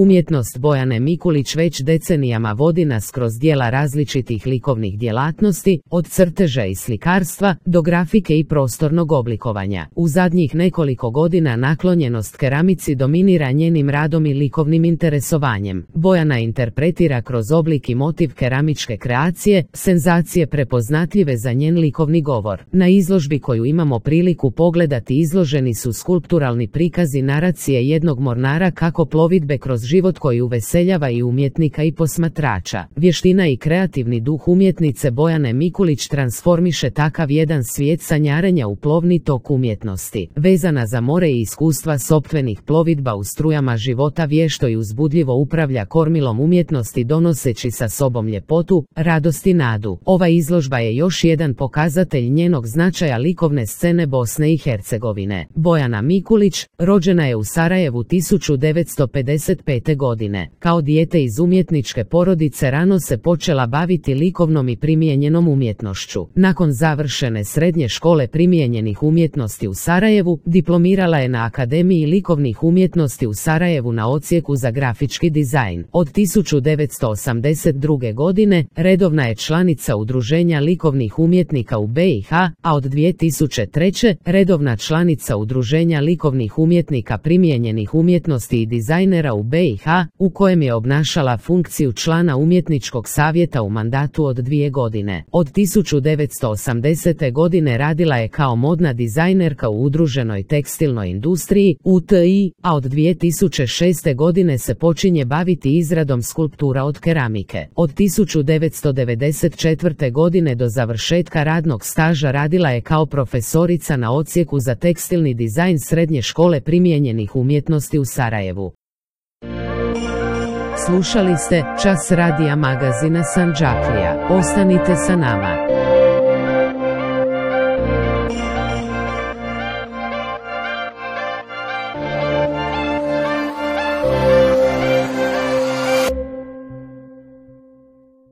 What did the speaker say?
Umjetnost Bojane Mikulić već decenijama vodi nas kroz djela različitih likovnih djelatnosti, od crteža i slikarstva do grafike i prostornog oblikovanja. U zadnjih nekoliko godina naklonjenost keramici dominira njenim radom i likovnim interesovanjem. Bojana interpretira kroz oblik i motiv keramičke kreacije, senzacije prepoznatljive za njen likovni govor. Na izložbi koju imamo priliku pogledati izloženi su skulpturalni prikazi naracije jednog mornara kako plovidbe kroz život koji uveseljava i umjetnika i posmatrača. Vještina i kreativni duh umjetnice Bojane Mikulić transformiše takav jedan svijet sanjarenja u plovni tok umjetnosti. Vezana za more i iskustva sopstvenih plovidba u strujama života vješto i uzbudljivo upravlja kormilom umjetnosti donoseći sa sobom ljepotu, radost i nadu. Ova izložba je još jedan pokazatelj njenog značaja likovne scene Bosne i Hercegovine. Bojana Mikulić rođena je u Sarajevu 1955. godine. Kao dijete iz umjetničke porodice rano se počela baviti likovnom i primijenjenom umjetnošću. Nakon završene srednje škole primijenjenih umjetnosti u Sarajevu, diplomirala je na Akademiji likovnih umjetnosti u Sarajevu na odsjeku za grafički dizajn. Od 1982. godine redovna je članica Udruženja likovnih umjetnika u BiH, a od 2003. redovna članica Udruženja likovnih umjetnika primijenjenih umjetnosti i dizajnera u BiH, u kojem je obnašala funkciju člana umjetničkog savjeta u mandatu od 2 godine. Od 1980. godine radila je kao modna dizajnerka u udruženoj tekstilnoj industriji, UTI, a od 2006. godine se počinje baviti izradom skulptura od keramike. Od 1994. godine do završetka radnog staža radila je kao profesorica na odsjeku za tekstilni dizajn Srednje škole primijenjenih umjetnosti u Sarajevu. Slušali ste Čas radija magazina Sandžaklija. Ostanite sa nama.